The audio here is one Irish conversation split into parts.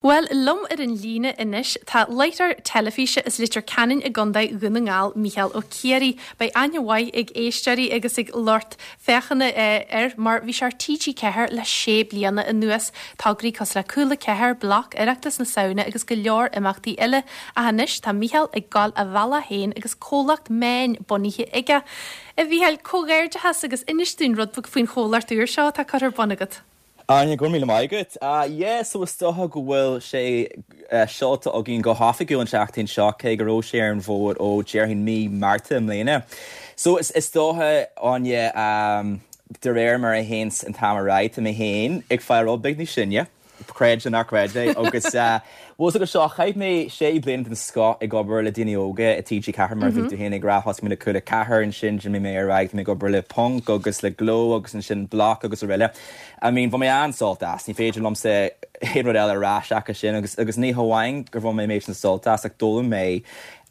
Bhuel, liom ar an líne anois tá láithreoir teilifíse as Leitir Ceanainn i gContae Dhún na nGall, Mícheál Ó Ciaraidh. Beidh aithne mhaith ag éisteoirí agus ag lucht féachana air mar bhí sé ar TG4 le sé bliana anuas. Tograí cosúil le Cúla 4, Bloc, Oireachtas na Samhna agus go leor imeachtaí eile. Ach anois tá Mícheál ag gabháil a bhealach féin agus comhlacht meáin bunaithe aige. A Mhícheáil, comhghairdeachas agus inis dúinn rud beag faoin chomhlacht úr seo atá curtha ar bun agat. Áine, go raibh míle maith agat. Yeah, so is dócha go bhfuil sé seolta againn go hoifigiúil an tseachtain seo, cé go raibh sé ar an bhfód ó déarfainn mí Márta i mbliana. So is dócha, Áine, de réir mar a théanns an t-am ar aghaidh, tá mé féin ag fáil rud beag níos sine. Creid nó ná creid é agus bhfuil fhios agat seo, chaith mé sé bliana den scoth ag obair le daoine óga i TG4 mar a bhí tú féin ag rá, thosaigh mé le Cúla 4 ansin d'imigh mé ar aghaidh, tá mé ag obair le Ponc agus le Gleo agus ansin Bloc agus araile. I mean bhain mé an-sult as, ní féidir liomsa aon rud eile a rá seachas sin agus agus ní hamháin gur bhain mé an méid sin sult as ach d'fhoghlaim mé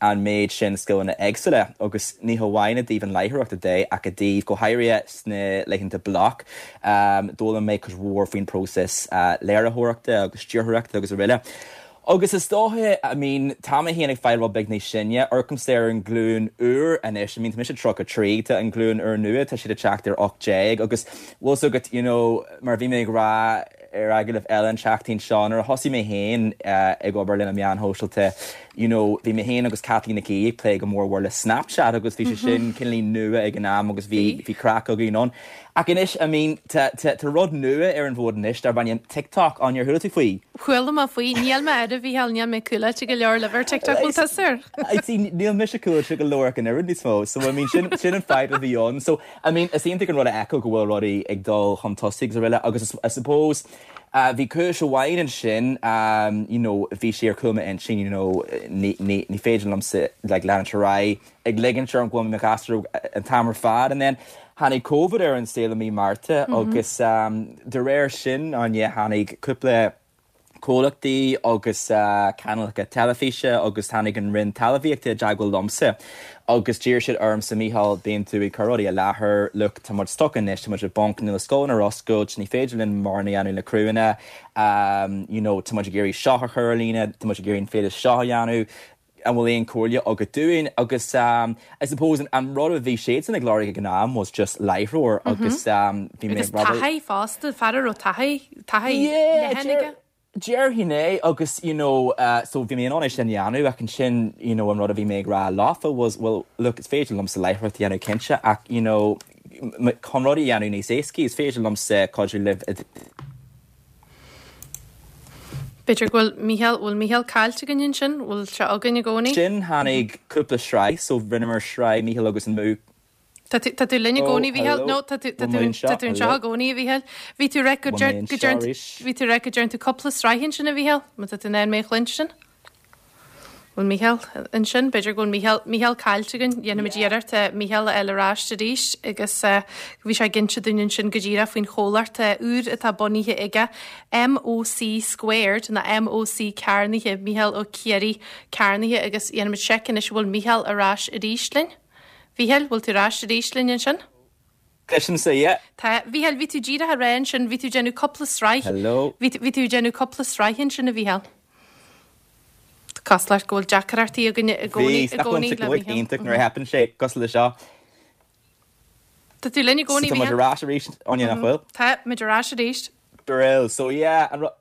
an méid sin scileanna éagsúla agus ní hamháin i dtaobh an láithreoireachta de ach i dtaobh, go háirithe sna laethanta Bloc, d'fhoghlaim mé cuid mhór faoin próiseas léiritheoireachta agus stiúrthóireachta agus araile. Agus is dócha, I mean, tá mé féin ag fáil rud beag níos sine, amharcaimse ar an ghlúin úr anois, I mean, tá mise 33, tá an ghlúin úr nua, tá siad ag teacht ar 18 agus bhfuil fhios agat, you know, mar a bhí mé ag rá, ar agallamh eile an tseachtain seo, nuair a thosaigh mé féin ag obair le na meáin shóisialta, you know, bhí mé féin agus Caitlín Nic Aoidh ag plé go mór mhór le Snapchat agus bhí sé sin cineáilín nua ag an am agus bhí, bhí craic againn ann. Ach anois, I mean, tá, tá, tá rud nua ar an bhfód anois darb ainm TikTok, Áine, ar chuala tú faoi? Chuala mé faoi. Níl mé air, a Mhícheáil, níl mé cúláilte go leor libh ar TikTok, bhfuil tusa air? See, níl mise cúláilte go leor ach an oiread níos mó, so I mean, sin, sin an fadhb a bhí ann. So, I mean, is iontach an rud a fheiceáil go bhfuil rudaí ag dul chun tosaigh agus araile agus I suppose bhí cúis amháin ansin, you know, bhí sé ar chúl m'intinn, you know, ní, ní, ní féidir liomsa like leanúint ar aghaidh ag ligint orm go bhfuil mé i mo ghasúr an t-am ar fad and then tháinig Covid ar an saol i mí Márta agus de réir sin, Áine, tháinig cúpla comhlachtaí agus cainéalacha teilifíse agus tháinig an Roinn Talmhaíochta i dteagmháil liomsa agus d'iarr siad ormsa, Mícheál, bíonn tú ag cur rudaí i láthair, look, tá muid stuck anois, tá muid i bponc, níl na scoileanna ar oscailt, ní féidir linn mórán a dhéanamh le criúnna, you know, tá muid ag iarraidh seo a chur ar líne, tá muid ag iarraidh an féile seo a dhéanamh, an bhfuil aon comhairle agat dúinn? Agus I suppose an rud a bhí siadsan ag lorg ag an am was just láithreoir agus bhí mé Agus taithí fosta, fear a raibh taithí, taithí leathan aige. Déarfainn é agus you know so bhí mé in ann é sin a dhéanamh ach ansin you know an rud a bhí mé ag rá leofa was well look is féidir liomsa láithreacht a dhéanamh cinnte ach you know chun rudaí a dhéanamh níos éascaí is féidir liomsa cuidiú libh i B'fhéidir go bhfuil Mícheál, bhfuil Mícheál caillte againn ansin? Bhfuil sé againn i gcónaí? Sin, tháinig cúpla sraith, so rinneamar sraith Mícheál agus an Mú. Tá tú, tá tú linn i Oh, gcónaí, Mhícheál? hello. No, tá tú, tá Bhfuil tú, mé anseo? tá tú anseo i gcónaí, a Mhícheáil. Bhí tú rá go Bhfuil mé anseo arís? Bhí tú rá go dtearn tú cúpla sraith ansin, a Mhícheál? Má tá tú in ann mé a chluinstin? Bhfuil Mícheál ansin? B'fhéidir go bhfuil Mícheál, Mícheál caillte againn. Dhéanfaimid iarracht Mícheál a fháil ar ais arís agus bhí sé ag inse dúinn ansin go díreach faoin chomhlacht úr atá bunaithe aige, MOC Squared, nó MOC Cearnaithe, Mícheál Ó Ciaraidh Cearnaithe agus dhéanfaimid seic anois an bhfuil Mícheál ar ais arís linn. Mhícheáil, bhfuil tú ar ais arís linn ansin? Cloisimse, yeah. Tá. Mhícheáil, bhí tú díreach ag rá ansin, bhí tú ag déanamh cúpla sraith. Hello. Bhí, bhí tú ag déanamh cúpla sraith ansin, a Mhícheáil. Tá cosúlacht go bhfuil deacrachtaí againn i gcónaí, i gcónaí le Mícheál. Iontach nuair a theipeann sé cosúil le seo. Tá tú linn i gcónaí, Mhícheál. Tá muid ar ais arís, Áine, nach bhfuil? Tá muid ar ais arís. Brill. So yeah, an rud,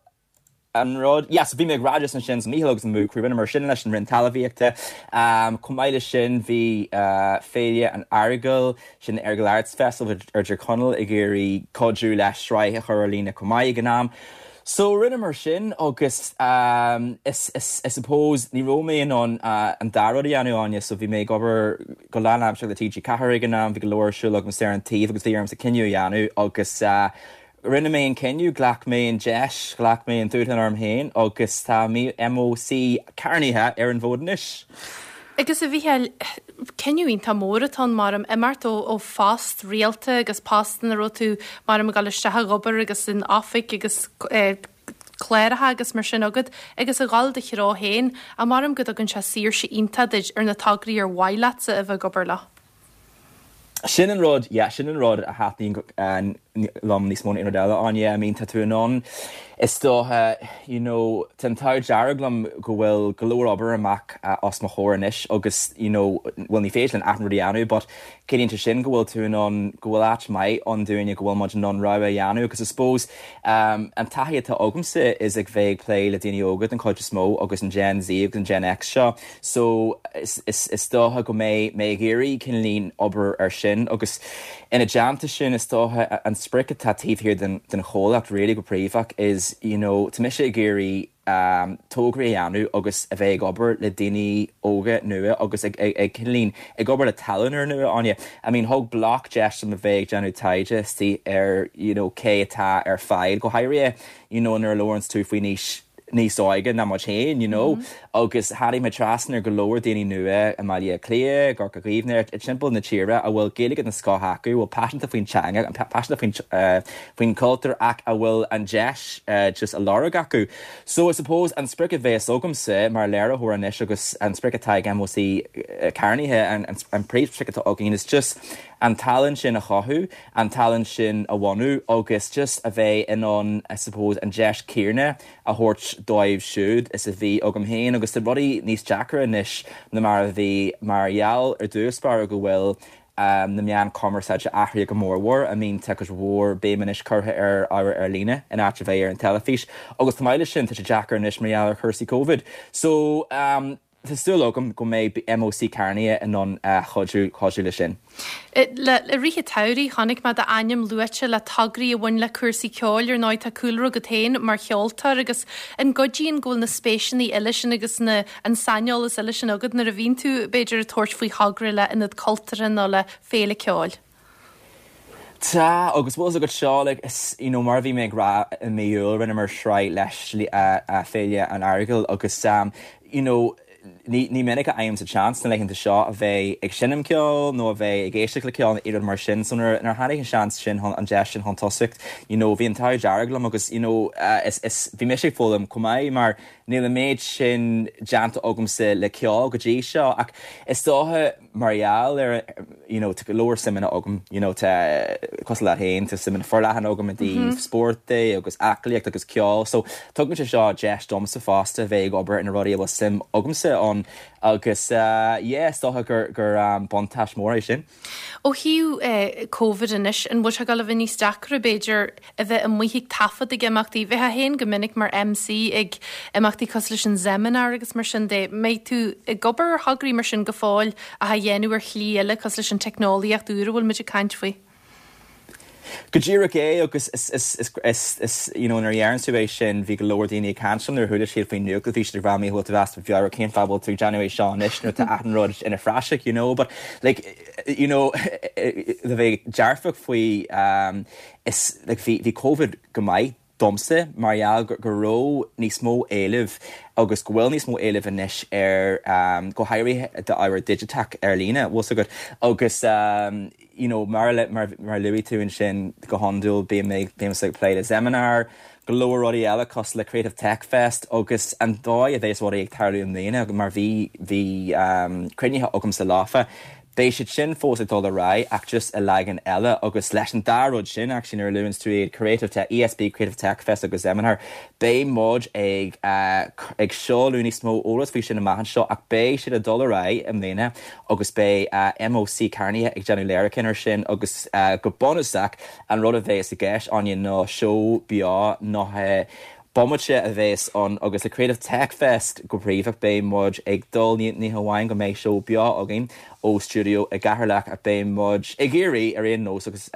an rud, yeah, so bhí mé ag rá just ansin, so Mícheál agus an Moo Crew, rinneamar sin leis an Roinn Talmhaíochta. Chomh maith leis sin bhí Féile an Earagail, sin Errigal Arts Festival ar Tír Chonaill ag iarraidh cuidiú le sraith a chur ar líne chomh maith ag an am. So rinneamar sin agus is, is, I suppose ní raibh mé in ann an dá rud a dhéanamh, Áine, so bhí mé ag obair go lánaimseartha le TG4 ag an am, bhí go leor ar siúl agamsa ar an taobh agus bhí ormsa cinneadh a dhéanamh agus Rinne mé an cinneadh, ghlac mé an deis, ghlac mé an dúshlán orm féin agus tá MOC cearnaithe ar an bhfód anois. Agus a Mhícheáil, cinneadh iontach mór atá ann maram, imeacht ó phost rialta agus post ina raibh tú maram ag dul isteach ag obair agus in oifig agus cláracha agus mar sin agat agus a dhul do threo féin, ach maram go dtugann sé saoirse iontach duit ar na tograí ar mhaith leatsa a bheith ag obair leo. Sin an rud, yeah, sin an rud a thaitníonn liom níos mó ná aon rud eile, Áine. I mean, tá tú in ann, is dócha, you know, tá an t-ádh dearg liom go bhfuil go leor obair amach os mo chomhair anois agus, you know, bhuel ní féidir linn achan rud a dhéanamh but ciallaíonn sé sin go bhfuil tú in ann, go bhfuil áit maith ann dúinne, go bhfuil muid in ann rogha a dhéanamh agus I suppose um, an taithí atá agamsa is ag bheith ag plé le daoine óga den chuid is mó agus an Gen Z agus an Gen X seo So, is dócha go mbeidh mé ag iarraidh cineáilín obair ar sin agus ina dteannta sin is dócha an sprioc atá taobh thiar den chomhlacht really go príomhach is you know tá mise ag iarraidh tograí a dhéanamh agus a bheith ag obair le daoine óga nua agus ag ag cineáilín ag obair le tallann úrnua Áine. I mean thug Bloc deis dom a bheith ag déanamh taighde istigh ar you know cé atá ar fáil go háirithe you know nuair a labhranns tú faoin aois níos óige ná muid féin, you know, agus tháinig mé trasna ar go leor daoine nua i mBaile Átha Cliath, i gCorca Dhuibhne, i timpeall na tíre a bhfuil Gaeilge den scoth acu, a bhfuil paiseanta faoin teanga, paiseanta faoin faoin chultúr ach a bhfuil an deis just á lorg acu. So I suppose an sprioc a bheas agamsa mar léiritheoir anois agus an sprioc atá ag MÓC Carnaithe, an an príomhsprioc atá againn is just an tallann sin a chothú, an tallann sin a bhunú agus just a bheith in ann I suppose an deis céanna a thabhairt dóibh siúd is a bhí agam féin agus tá rudaí níos deacra anois ná mar a bhí mar gheall ar dtús báire go bhfuil na meáin cumarsáide athraithe go mórmhór. I mean tá cuid mhór béim anois curtha ar ábhar ar líne in áit a bheith ar an teilifís agus chomh maith leis sin tá sé deacair anois mar gheall ar chúrsaí Covid. So Tá súil agam go mbeidh MÓC Carnaithe in ann cuidiú cuidiú leis sin. I rith an tsamhraidh, chonaic mé d'ainm luaite le tograí a bhain le cúrsaí ceoil. Ar ndóigh, tá cúlra agat féin mar cheoltóir agus an gcuidíonn go bhfuil na spéiseanna eile sin agus na an saineolas eile sin agat nuair a bhíonn tú, b'fhéidir, ag tabhairt faoi thogra le ionad cultúrtha nó le féile ceoil? Tá, agus bhfuil fhios agat seo, like, is, you know, mar a bhí mé ag rá i mí Iúil, rinneamar sraith leis Féile an Earagail agus, you know, ní, ní minic a fhaighimse seans na laethanta seo a bheith ag seinm ceoil nó a bheith ag éisteacht le ceol nó aon rud mar sin, so nuair, nuair a tháinig an seans sin chun, an deis sin chun tosaigh, you know, bhí an t-ádh dearg liom agus, you know, is, is, bhí mise ag foghlaim chomh maith mar níl an méid sin déanta agamsa le ceol go dtí seo ach is dócha, mar gheall ar you know tá go leor suimeanna agam you know tá cosúil leat féin tá suimeanna forleathan agam i dtaobh spóirt de agus aclaíocht agus ceol so tugann sé seo deis domsa fosta bheith ag obair ar na rudaí a bhfuil suim agamsa ann agus yeah is dócha gur gur buntáiste mór é sin. Ó thaobh Covid anois, an bhfuil sé ag dul a bheith níos deacra b'fhéidir a bheith amuigh ag taifead ag imeachtaí. Bheifeá féin go minic mar MC ag imeachtaí cosúil leis an Zeminar agus mar sin de. Mbeidh tú ag obair ar thograí mar sin go fóill ach á dhéanamh ar shlí eile cosúil leis an teicneolaíocht úr a bhfuil muid ag caint faoi? Go díreach é agus is, is, is, is, is, you know, nuair a dheireann tú é sin bhí go leor daoine ag caint liom nuair a chuala siad faoin nuacht bhí siad ag rá an bhfuil tú as do mheabhair cén fáth a bhfuil tú ag déanamh é seo anois nuair atá achan rud ina phraiseach, you know, but like, you know, le bheith dearfach faoi is like bhí bhí Covid go maith domsa mar gheall go go raibh níos mó éilimh agus go bhfuil níos mó éilimh anois ar go háirithe d'ábhar digiteach ar líne, bhfuil 's agat agus you know mar a mar mar a luaigh tú ansin go hiondúil bím ag bímse ag plé le Zeminar, go leor rudaí eile cosúil le Creative Tech Fest agus an dóigh a bheas rudaí ag tarlú i mbliana mar bhí bhí cruinnithe agamsa leofa Beidh siad sin fós ag dul ar aghaidh ach just i leagan eile agus leis an dá rud sin actually nuair a luanns tú iad Creative Tech, ESB Creative Tech Fest agus Zeminar, beidh muid ag ag seoladh níos mó eolas faoi sin amach anseo ach beidh siad ag dul ar aghaidh i mbliana agus beidh MÓC Carnaithe ag déanamh léiriúcháin ar sin agus go bunúsach an rud a bheas i gceist Áine ná seó beo 90 bomaite a bheas ann agus le Creative Tech Fest go príomha beidh muid ag dul, ní hamháin go mbeidh seó beo againn ó stiúideo i gCeatharlach ach beidh muid ag iarraidh ar aon nós agus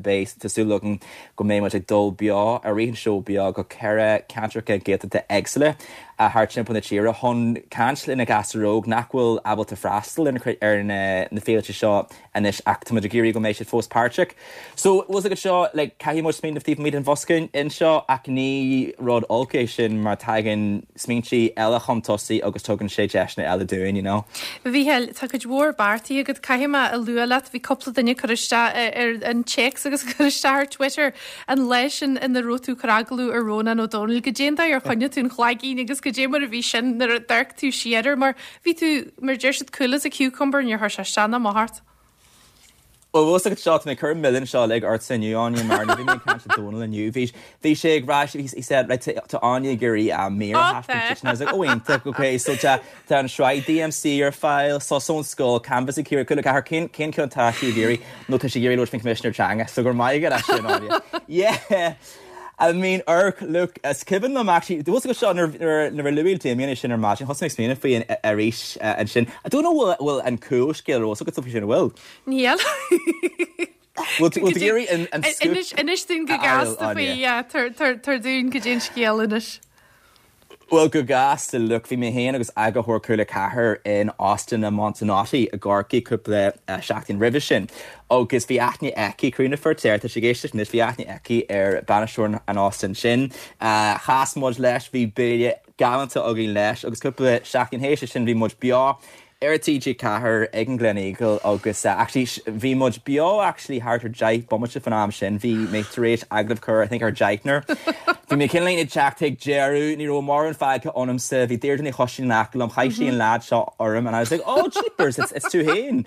beidh, tá súil againn go mbeidh muid ag dul beo i rith an seó beo go 4 ceantracha Gaeltachta éagsúla thart timpeall na tíre chun caint le na gasúir óg nach bhfuil ábalta freastal ar na féilte seo anois ach tá muid ag iarraidh go mbeidh siad fós páirteach. So, bhfuil 's agat seo, like, caithfidh muid smaoineamh taobh amuigh den bhosca anseo ach ní rud olc é sin mar tagann smaointe eile chun tosaigh agus tugann sé deiseanna eile dúinn, you know. A Mhícheáil, tá cuid mhór beartaithe agat, caithfidh mé a lua leat, bhí cúpla duine ag cur isteach ar an téacs agus ag cur isteach ar Twitter an lá sin ina raibh tú ag cur agallamh ar Rónán Ó Domhnaill, goidé an dóigh ar choinnigh tú an chlaigín agus goidé mar a bhí sin nuair a d'amharc tú siar air mar Bhí tú, mar a deir siad, cool as a cucumber, níor chuir sé isteach ná amach ort. Bhuel, bhfuil fhios agat seo, tá mé ag cur an milleán seo uilig ortsa inniu, Áine, mar nuair a bhí mé ag caint le Dónal inniu, bhí, bhí sé ag rá, he, he said, right, tá Áine ag iarraidh mír a thaispeáint duit, and I was like, oh, iontach, okay, so tá, tá an sraith DMC ar fáil, Sos ón Scoil, Canvas ag Ciarraí, Cúla 4, cén, cén ceann atá sí ag iarraidh? Nó tá sí ag iarraidh labhairt faoin Choimisinéir Teanga, so go raibh maith agat as sin, Áine. Yeah! I mean, orc, look, is cuimhin liom actually, bhfuil fhios agat seo, nuair a luaigh Damien é sin ar maidin, thosaigh mé ag smaoineamh faoi arís ansin. I don't know bhfuil bhfuil an cúlscéal ar eolas agat faoi sin, an bhfuil? Níl. Bhfuil tú ag iarraidh an scoop Inis, inis dúinn go gasta faoi, yeah, tabhair dúinn goidé an scéal anois. Bhuel, go gasta, look, bhí mé féin agus eagarthóir Cúla 4 in Óstán na Montenotte i gCorcaigh cúpla seachtain roimhe sin agus bhí aithne aici, Críona Feirtéar, tá sí ag éisteacht anois, bhí aithne aici ar bainisteoir an óstáin sin. Chas muid leis, bhí béile galánta againn leis agus cúpla seachtain théis sin bhí muid beo ar TG4 ag an Gleneagle agus actually bhí muid beo actually thart ar 10 bomaite faoin am sin, bhí mé tar éis agallamh a chur I think ar deichniúr. Bhí mé cineál ag teacht chuig deireadh, ní raibh mórán fágtha ionamsa, bhí Deirdre Ní Choisín in aice liom, chaith sí an lead seo orm and I was like oh jeepers it's, it's tú féin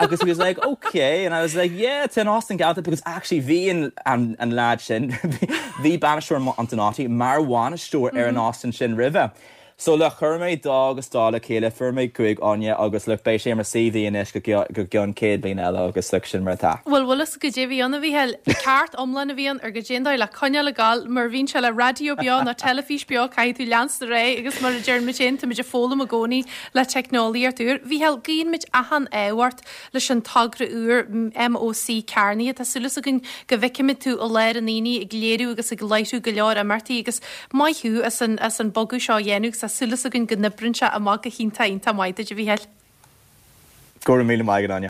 agus he was like okay and I was like yeah tá an óstán galánta because actually bhí an, an, an lead sin bhí bainisteoir Montenotte mar bhainisteoir ar an óstán sin roimhe. So look, chuir mé dá agus dá le chéile, fuair mé 5 Áine agus look, beidh sé ar mo CV anois go go gceann 100 bliain eile agus look, sin mar atá. Bhuel, bhfuil fhios goidé a bhí ann, a Mhícheáil? Ceart iomlán a bhí ann ar goidé an dóigh le coinneáil ag gabháil, mar a bhíonn sé le raidió beo nó teilifís beo, caithfidh tú leanstan ar aghaidh agus mar a deireann muid féin, táimid ag foghlaim i gcónaí le teicneolaíocht úr. Mhícheáil, guíonn muid achan ádh ort leis an togra úr MOC cearnaithe. Tá súil againn go bhfeicfimid tú i lár an aonaigh ag léiriú agus ag láithriú go leor imeachtaí agus maith thú as an as an bogadh seo a dhéanamh agus tá súil againn go n-oibreann sé amach go hiontach iontach maith duit a Mhícheáil. Go raibh míle maith agat Áine.